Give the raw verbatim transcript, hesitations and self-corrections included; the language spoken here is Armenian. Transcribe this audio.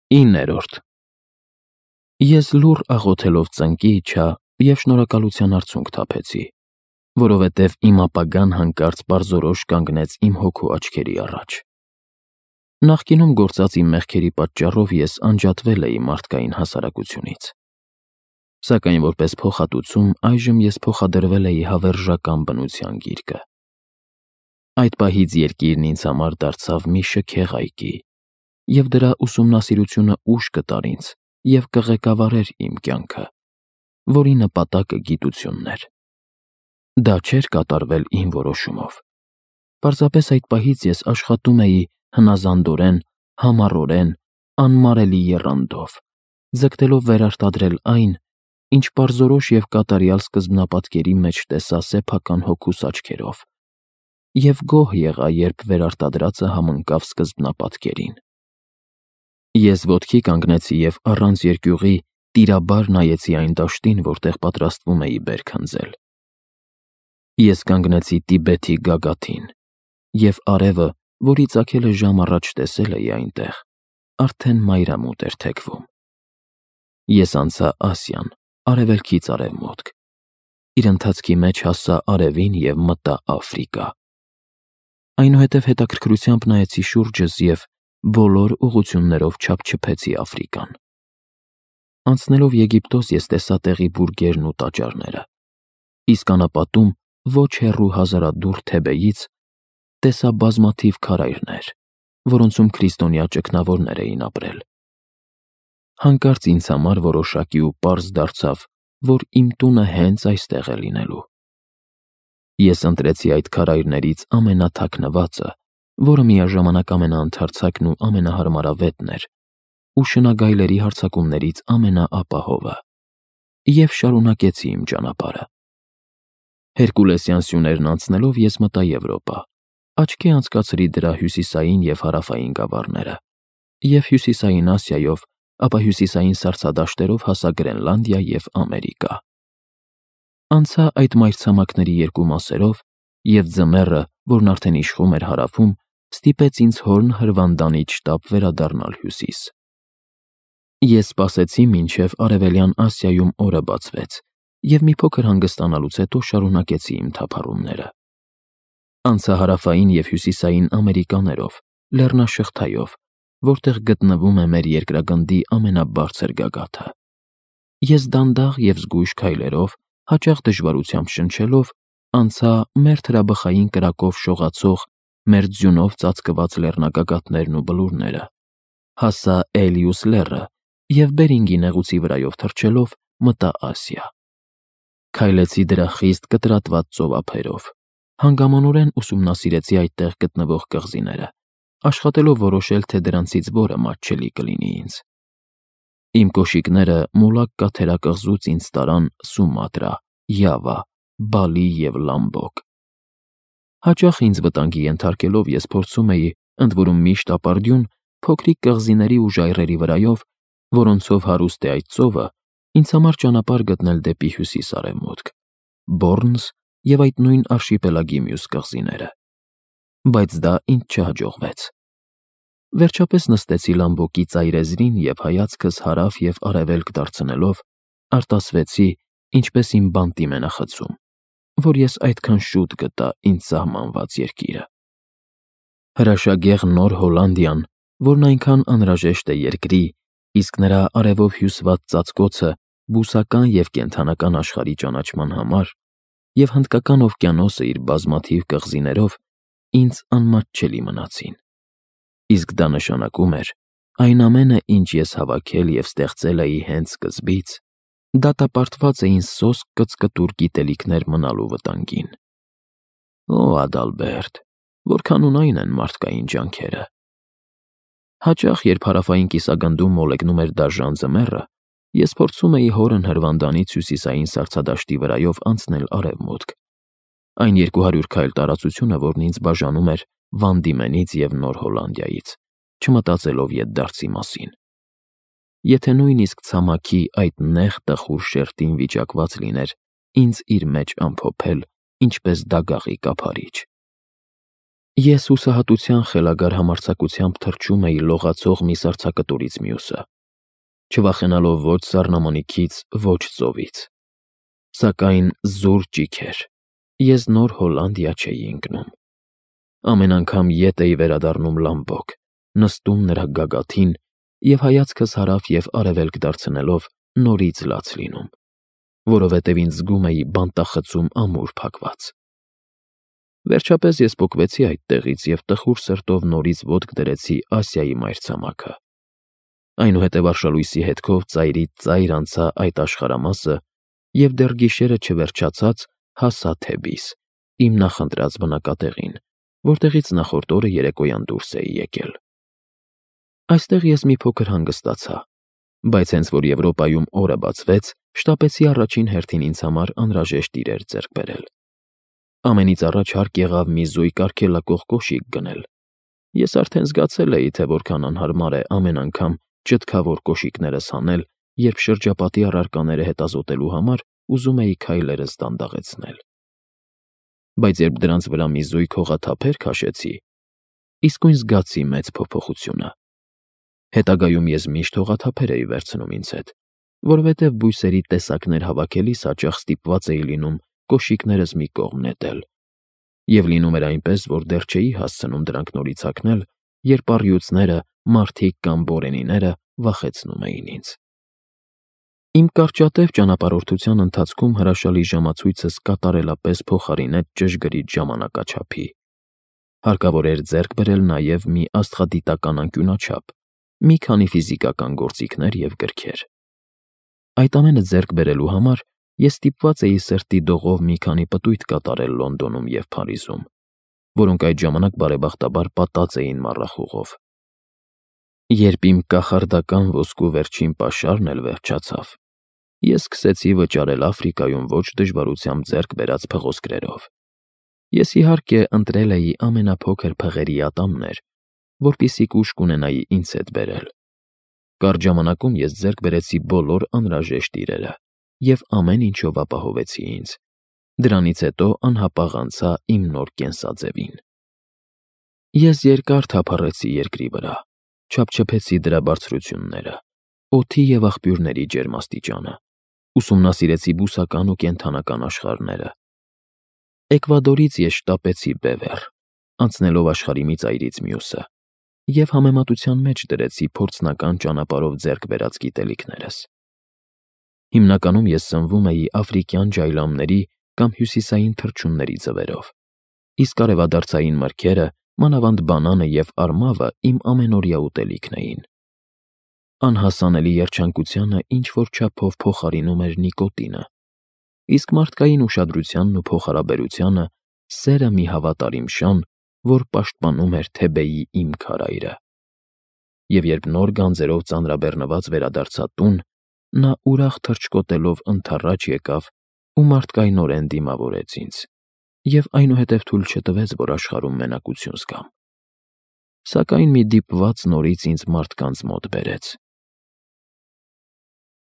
Իններորդ Ես լուռ աղոթելով ծնկի իջա և շնորհակալության արցունք թափեցի, որովհետև իմ ապագան հանկարծ պարզորոշ կանգնեց իմ հոգու աչքերի առաջ։ Նախկինում գործած իմ մեղքերի պատճառով ես անջատվել էի մարդկային հասարակությունից, սակայն որպես փոխհատուցում այժմ ես փոխադրվել էի հավերժական բնության գիրկը։ Այդ պահից երկիրն ինձ համար դարձավ մի շքեղ այգի, և դրա ուսումնասիրությունը ուժ կտար ինձ և կղեկավարեր իմ կյանքը, որի նպատակը գիտությունն էր։ Դա չէր կատարվել իմ որոշումով։ Պարզապես այդ պահից ես աշխատում էի հնազանդորեն, համառորեն, անմարելի եռանդով, ձգտելով վերարտադրել այն, ինչ պարզորոշ և կատարյալ սկզբնապատկերի մեջ տեսա սեփական հոգուս աչքերով, և գոհ եղա, երբ վերարտադրածը համընկավ սկզբնապատկերին։ Ես ոտքի կանգնեցի և առանց երկյուղի տիրաբար նայեցի այն դաշտին, որտեղ պատրաստվում էի բերք հնձել։ Ես կանգնեցի Տիբեթի գագաթին, և արևը, որի ծագելը ժամ առաջ տեսել էի այնտեղ, արդեն մայրամուտ էր թեքվում։ Ես անցա Ասիան, արևելքից արևմուտք, իր ընթացքի մեջ հասա արևին և մտա Աֆրիկա։ Այնուհետև հետաքրքրությամբ նայեցի շուրջս և բոլոր ուղղություններով չափչփեցի Աֆրիկան։ Անցնելով Եգիպտոս ես տեսա տեղի բուրգերն ու տաճարները, իսկ անապատում ոչ հեռու հազարադուռ Թեբեից տեսա բազմաթիվ քարայրներ, որոնցում քրիստոնյա ճգնավորներ էին ապրել։ Հանկարծ ինձ համար որոշակի ու պարզ դարձավ, որ իմ տունը հենց այստեղ է լինելու։ Ես ընտրեցի այդ քարայրներից ամենաթաքնվածը, որը միաժամանակ ամենաընդարձակն ու ամենահարմարավետն էր, ու շնագայլերի հարձակումներից ամենաապահովը, և շարունակեցի իմ ճանապարհը։ Հերկուլեսյան սյուներն անցնելով ես մտա Եվրոպա, աչքի անցկացրի դրա հյուսիսային և հարավային գավառները, և հյուսիսային Ասիայով, ապա հյուսիսային սառցադաշտերով հասա Գրենլանդիա և Ամերիկա։ Անցա այդ մայրցամաքների երկու մասերով, և ձմեռը, որն արդեն իշխում էր հարավում, ստիպեց ինձ հորն հրվանդանից շտապ վերադառնալ հյուսիս։ Ես սպասեցի, մինչև Արևելյան Ասիայում օրը բացվեց, և մի փոքր հանգստանալուց հետո շարունակեցի իմ թափառումները։ Անցա հարավային և հյուսիսային Ամերիկաներով, լեռնաշղթայով, որտեղ գտնվում է մեր երկրագնդի ամենաբարձր գագաթը։ Ես դանդաղ և զգույշ քայլերով, հաճախ դժվարությամբ շնչելով, անցա մեր թրաբխային կրակով շողացող, մեր ձյունով ծածկված լեռնագագաթներն ու բլուրները, հասա Էլիուս լեռը և Բերինգի նեղուցի վրայով թռչելով մտա Ասիա։ Քայլեցի դրա խիստ կտրատված ծովափերով, հանգամանորեն ուսումնասիրեցի այդտեղ գտնվող կղզիները, աշխատելով որոշել, թե դրանցից որը մատչելի կլինի ինձ։ Իմ կոշիկները Մոլակկա թերակղզուց ինձ տարան Սումատրա, Յավա, Բալի և Լամբոկ։ Հաճախ ինձ վտանգի ենթարկելով ես փորձում էի, ընդ որում միշտ ապարդյուն, փոքրիկ կղզիների ու ժայռերի վրայով, որոնցով հարուստ է այդ ծովը, ինձ համար ճանապարհ գտնել դեպի հյուսիս֊արևմուտք, Բոռնս և այդ նույն արշիպելագի մյուս կղզիները։ Բայց դա ինձ չհաջողվեց։ Վերջապես նստեցի Լամբոկի ծայրեզրին և հայացքս հարավ և արևելք դարձնելով, արտասվեցի, ինչպես իմ բանտի մենախցում, որ ես այդքան շուտ գտա ինձ սահմանված երկիրը։ Հրաշագեղ Նոր Հոլանդիան, որն այնքան անհրաժեշտ է երկրի, իսկ նրա արևով հյուսված ծածկոցը բուսական և կենդանական աշխարհի ճանաչման համար, և Հնդկական օվկիանոսը իր բազմաթիվ կղզիներով ինձ անմատչելի մնացին։ Իսկ դա նշանակում էր. այն ամենը, ինչ ես հավաքել և ստեղծել էի հենց սկզբից, դատապարտված էին սոսկ կծկտուր գիտելիքներ մնալու վտանգին։ Օ Ադալբերտ, որքան ունայն են մարդկային ջանքերը։ Հաճախ, երբ հարավային կիսագնդում մոլեգնում էր դաժան ձմեռը, ես փորձում էի հորն հրվանդանից հյուսիսային սառցադաշտի վրայով անցնել արևմուտք, այն երկու հարյուր քայլ տարածությունը, որն ինձ բաժանում էր Վան Դիմենից և Նոր Հոլանդիայից, չմտածելով ետդարձի մասին։ Եթե նույնիսկ ցամաքի այդ նեղ տխուր շերտին վիճակված լիներ ինձ իր մեջ ամփոփել, ինչպես դագաղի կափարիչ։ Ես հուսահատության խելագար համարձակությամբ թռչում էի լողացող մի սառցակտորից մյուսը, չվախենալով ոչ սառնամանիքից, ոչ ծովից։ Սակայն զուր ճիք էր, ես նոր Հոլանդիա չէի ընկնում։ Ամեն անգամ ետ էի վերադառնում լամբոք, նստում նրա գագաթին և հայացքս հարավ և արևելք դարձնելով նորից լաց լինում, որովհետև ինձ զգում էի բանտախցում ամուր փակված։ Վերջապես ես պոկվեցի այդ տեղից և տխուր սրտով նորից ոտք դրեցի Ասիայի մայրցամաքը։ Այնուհետև արշալույսի հետքով ծայրից ծայր անցա այդ աշխարհամասը և դեռ գիշերը չվերջացած հասա Թեբիս, իմ նախընտրած բնակատեղին, որտեղից նախորդ օրը երեկոյան դուրս էի եկել։ Այստեղ ես մի փոքր հանգստացա, բայց հենց որ Եվրոպայում օրը բացվեց, շտապեցի առաջին հերթին ինձ համար անհրաժեշտ իրեր ձեռք բերել։ Ամենից առաջ հարկ եղավ մի զույգ արգելակող կոշիկ գնել։ Ես արդեն զգացել էի, թե որքան անհարմար է ամեն անգամ ճտկավոր կոշիկներս հանել, երբ շրջապատի առարկաները հետազոտելու համար ուզում էի քայլերս դանդաղեցնել։ Բայց երբ դրանց վրա մի զույգ հողաթափեր քաշեցի, իսկույն զգացի մեծ փոփոխությունը։ Հետագայում ես միշտ հողաթափեր էի վերցնում ինձ հետ, որովհետև բույսերի տեսակներ հավաքելիս հաճախ ստիպված էի լինում կոշիկներս մի կողմ նետել, և լինում էր այնպես, որ դեռ չէի հասցնում դրանք նորից հագնել, երբ առյուծները, մարդիկ կամ բորենիները վախեցնում էին ինձ։ Իմ կարճատև ճանապարհորդության ընթացքում հրաշալի ժամացույցս կատարելապես փոխարինեց ճշգրիտ ժամանակաչափի։ Հարկավոր էր ձեռք բերել նաև մի աստղադիտական անկյունաչափ, մի քանի ֆիզիկական գործիքներ և գրքեր։ Այդ ամենը ձեռք բերելու համար ես ստիպված էի սրտի դողով մի քանի պտույտ կատարել Լոնդոնում և Փարիզում, որոնք այդ ժամանակ բարեբախտաբար պատած էին մառախուղով։ Երբ իմ կախարդական ոսկու վերջին պաշարն էլ վերջացավ, ես սկսեցի վճարել Աֆրիկայում ոչ դժվարությամբ ձեռք բերած փղոսկրերով։ Ես, իհարկե, ընտրել էի ամենափոքր փղերի ատամներ, որպեսզի կուշ կունենայի ինձ հետ բերել։ Կարճ ժամանակում ես ձեռք բերեցի բոլոր անհրաժեշտ իրերը և ամեն ինչով ապահովեցի ինձ։ Դրանից հետո անհապաղ անցա իմ նոր կենսաձևին։ Ես երկար թափառեցի երկրի վրա, չափչփեցի դրա բարձրությունները, օդի և աղբյուրների ջերմաստիճանը, ուսումնասիրեցի բուսական ու կենդանական աշխարհները։ Էկվադորից ես շտապեցի Բևեռ, անցնելով աշխարհի մի ծայրից մյուսը, և համեմատության մեջ դրեցի փորձնական ճանապարհով ձեռք բերած գիտելիքներս։ Հիմնականում ես սնվում էի աֆրիկյան ջայլամների կամ հյուսիսային թռչունների ձվերով, իսկ արևադարձային մրգերը, մանավանդ բանանը և արմավը իմ ամենօրյա ուտելիքն էին։ Անհասանելի երջանկությանը ինչ-որ չափով փոխարինում էր նիկոտինը, իսկ մարդկային ուշադրությանն ու փոխհարաբերությանը սերը մի հավատարիմ շան, որ պաշտպանում էր Թեբեի իմ քարայրը։ Եվ երբ նոր գանձերով ծանրաբեռնված վերադարձա տուն, նա ուրախ թռչկոտելով ընդառաջ եկավ ու մարդկայնորեն դիմավորեց ինձ, և այնուհետև թույլ չտվեց, որ աշխարհում մենակություն զգամ։ Սակայն մի դիպված նորից ինձ մարդկանց մոտ բերեց։